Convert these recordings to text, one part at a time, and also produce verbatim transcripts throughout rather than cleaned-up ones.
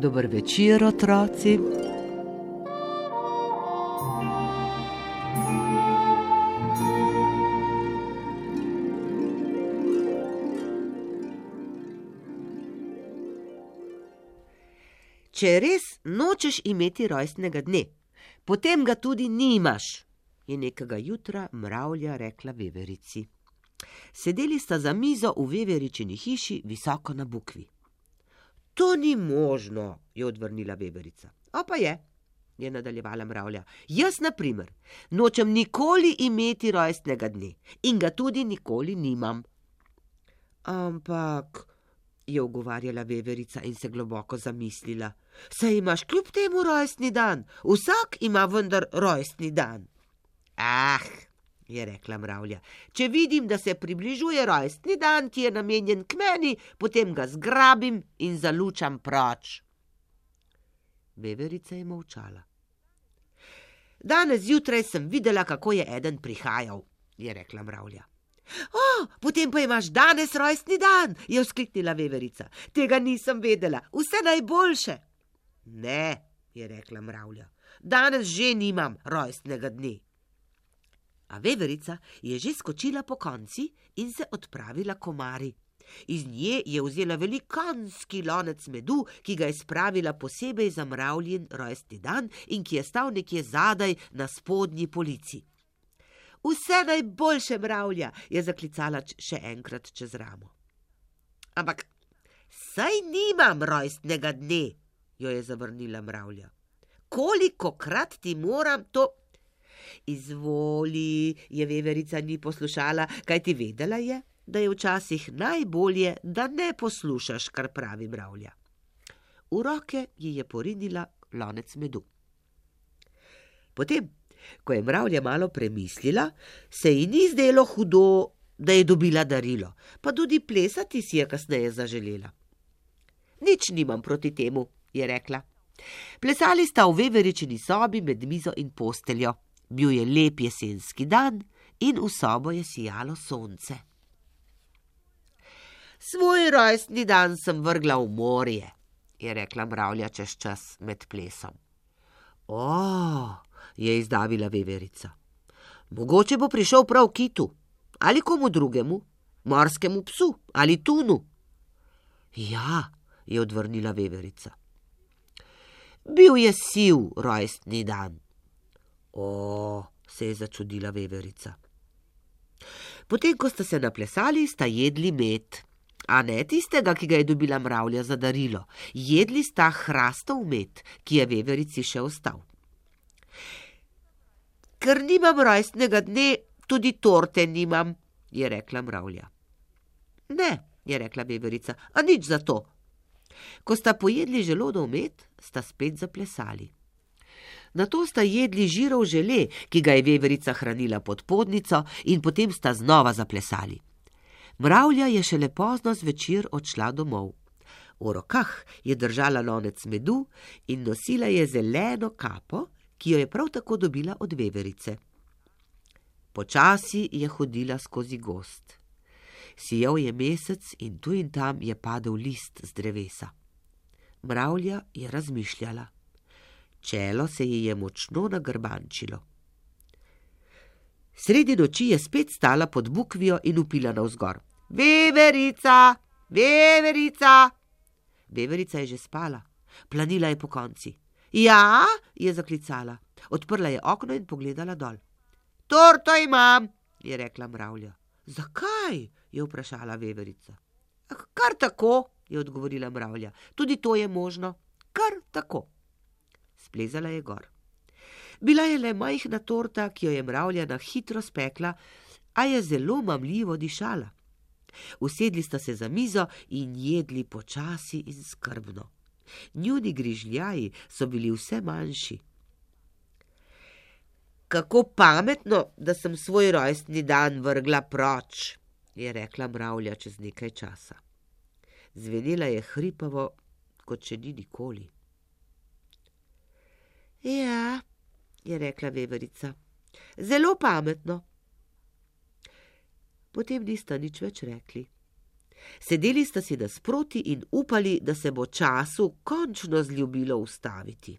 Dober večer, otroci. Če res nočeš imeti rojstnega dne, potem ga tudi nimaš, je nekega jutra mravlja rekla veverici. Sedeli sta za mizo v veveričini hiši visoko na bukvi. To ni možno, je odvrnila veverica. A pa je, je nadaljevala mravlja. Jaz, na primer, nočem nikoli imeti rojstnega dne in ga tudi nikoli nimam. Ampak, je ugovarjala veverica in se globoko zamislila, saj imaš kljub temu rojstni dan, vsak ima vendar rojstni dan. Ah, je rekla mravlja, če vidim, da se približuje rojstni dan, ki je namenjen k meni, potem ga zgrabim in zalučam proč. Veverica je molčala. Danes zjutraj sem videla, kako je eden prihajal, je rekla mravlja. O, potem pa imaš danes rojstni dan, je vzkliknila veverica. Tega nisem vedela, vse najboljše. Ne, je rekla mravlja, danes že nimam rojstnega dne. A veverica je že skočila po konci in se odpravila k omari. Iz nje je vzela velikanski lonec medu, ki ga je spravila posebej za mravljin rojstni dan in ki je stal nekje zadaj na spodnji polici. Vse najboljše, mravlja, je zaklicala še enkrat čez ramo. Ampak, saj nimam rojstnega dne, jo je zavrnila mravlja. Kolikokrat ti moram to... Izvoli, je veverica ni poslušala, kajti vedela je, da je včasih najbolje, da ne poslušaš, kar pravi mravlja. V roke ji je porinila lonec medu. Potem, ko je mravlja malo premislila, se ji ni zdelo hudo, da je dobila darilo, pa tudi plesati si je kasneje zaželela. Nič nimam proti temu, je rekla. Plesali sta v veveričini sobi med mizo in posteljo. Bil je lep jesenski dan in v sobo je sijalo sonce. Svoj rojstni dan sem vrgla v morje, je rekla mravlja čez čas med plesom. O, je izdavila veverica. Mogoče bo prišel prav kitu, ali komu drugemu, morskemu psu ali tunu. Ja, je odvrnila veverica. Bil je siv rojstni dan. O, se je začudila veverica. Potem, ko sta se naplesali, sta jedli med, a ne tistega, ki ga je dobila mravlja za darilo. Jedli sta hrastov med, ki je veverici še ostal. Ker nimam rojstnega dne, tudi torte nimam, je rekla mravlja. Ne, je rekla veverica, a nič za to. Ko sta pojedli želodov med, sta spet zaplesali. Nato sta jedli žirov žele, ki ga je veverica hranila pod podnico, in potem sta znova zaplesali. Mravlja je šele pozno zvečer odšla domov. V rokah je držala lonec medu in nosila je zeleno kapo, ki jo je prav tako dobila od veverice. Počasi je hodila skozi gozd. Sijal je mesec in tu in tam je padel list z drevesa. Mravlja je razmišljala. Čelo se ji je močno nagrbančilo. Sredi noči je spet stala pod bukvijo in vpila navzgor. Veverica, veverica! Veverica je že spala, planila je po konci. Ja, je zaklicala. Odprla je okno in pogledala dol. Torto imam, je rekla mravlja. Zakaj? Je vprašala veverica. Kar tako, je odgovorila mravlja. Tudi to je možno. Kar tako. Splezala je gor. Bila je le majhna torta, ki jo je mravlja na hitro spekla, a je zelo mamljivo dišala. Usedli sta se za mizo in jedli počasi in skrbno. Njuni grižljaji so bili vse manjši. Kako pametno, da sem svoj rojstni dan vrgla proč, je rekla mravlja čez nekaj časa. Zvenela je hripavo, kot še ni nikoli. Ja, je rekla veverica, zelo pametno. Potem nista nič več rekli. Sedeli sta si nasproti in upali, da se bo času končno zljubilo ustaviti.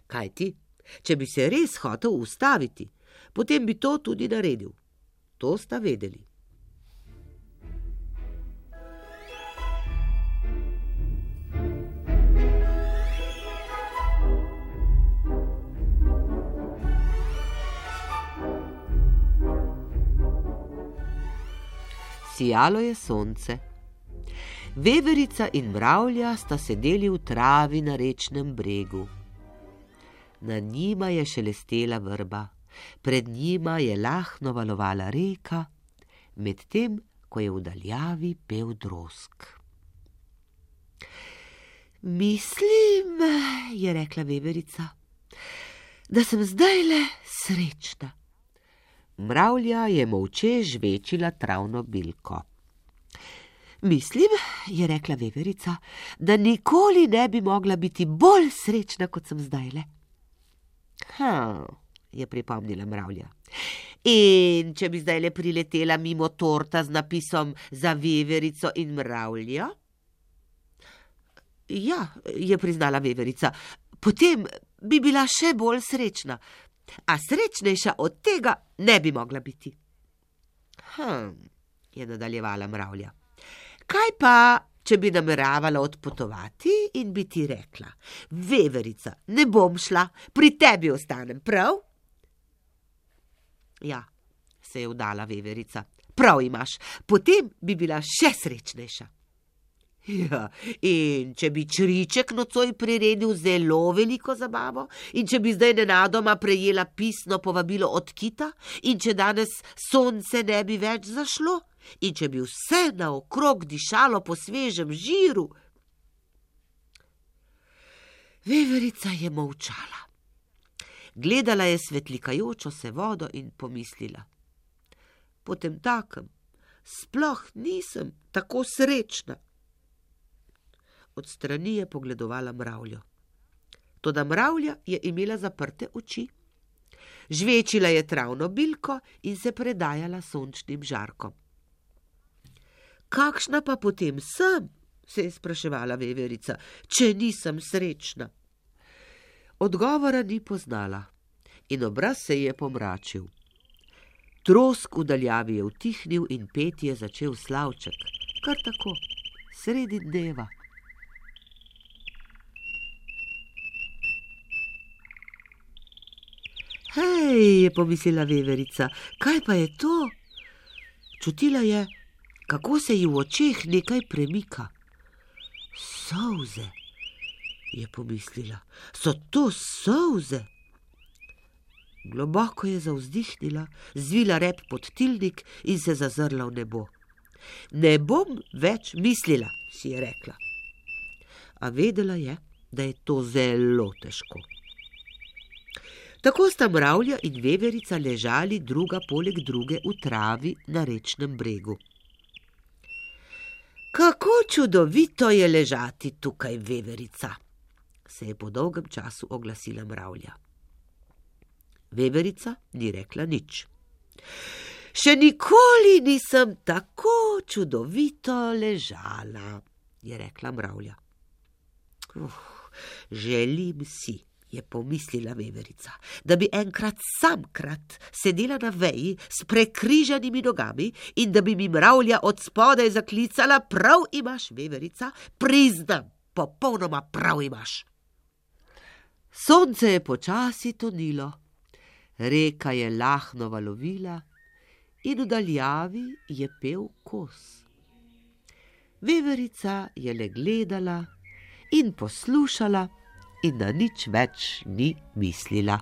Kajti, če bi se res hotel ustaviti, potem bi to tudi naredil. To sta vedeli. Sijalo je sonce. Veverica in mravlja sta sedeli v travi na rečnem bregu. Na njima je šelestela vrba, pred njima je lahno valovala reka, medtem ko je v daljavi pel drosk. Mislim, je rekla veverica, da sem zdajle srečna. Mravlja je molče žvečila travno bilko. Mislim, je rekla veverica, da nikoli ne bi mogla biti bolj srečna, kot sem zdajle. Ha, je pripomnila mravlja. In če bi zdajle priletela mimo torta z napisom za veverico in mravljo? Ja, je priznala veverica, potem bi bila še bolj srečna. A srečnejša od tega ne bi mogla biti. Hm, je nadaljevala mravlja. Kaj pa, če bi nameravala odpotovati in bi ti rekla, veverica, ne bom šla, pri tebi ostanem, prav? Ja, se je vdala veverica, prav imaš, potem bi bila še srečnejša. Ja, in če bi čriček nocoj priredil zelo veliko zabavo, in če bi zdaj nenadoma prejela pisno povabilo od kita, in če danes sonce ne bi več zašlo, in če bi vse naokrog dišalo po svežem žiru. Veverica je molčala. Gledala je svetlikajočo se vodo in pomislila. Potemtakem sploh nisem tako srečna. Od strani je pogledovala mravljo. Toda mravlja je imela zaprte oči. Žvečila je travno bilko in se predajala sončnim žarkom. Kakšna pa potem sem, se je spraševala veverica, če nisem srečna? Odgovora ni poznala in obraz se je pomračil. Trosk v daljavi je utihnil in petje začel slavček, kar tako, sredi dneva. Hej, je pomislila veverica, kaj pa je to? Čutila je, kako se ji v očeh nekaj premika. Solze, je pomislila, so to solze? Globoko je zavzdihnila, zvila rep pod tilnik in se zazrla v nebo. Ne bom več mislila, si je rekla. A vedela je, da je to zelo težko. Tako sta mravlja in veverica ležali druga poleg druge v travi na rečnem bregu. Kako čudovito je ležati tukaj, veverica, se je po dolgem času oglasila mravlja. Veverica ni rekla nič. Še nikoli nisem tako čudovito ležala, je rekla mravlja. Uf, želim si, je pomislila veverica, da bi enkrat samkrat sedela na veji s prekrižanimi nogami in da bi mi mravlja od spodaj zaklicala, prav imaš, veverica, priznam, popolnoma prav imaš. Sonce je počasi tonilo, reka je lahno valovila in v daljavi je pel kos. Veverica je le gledala in poslušala in na nič več ni mislila.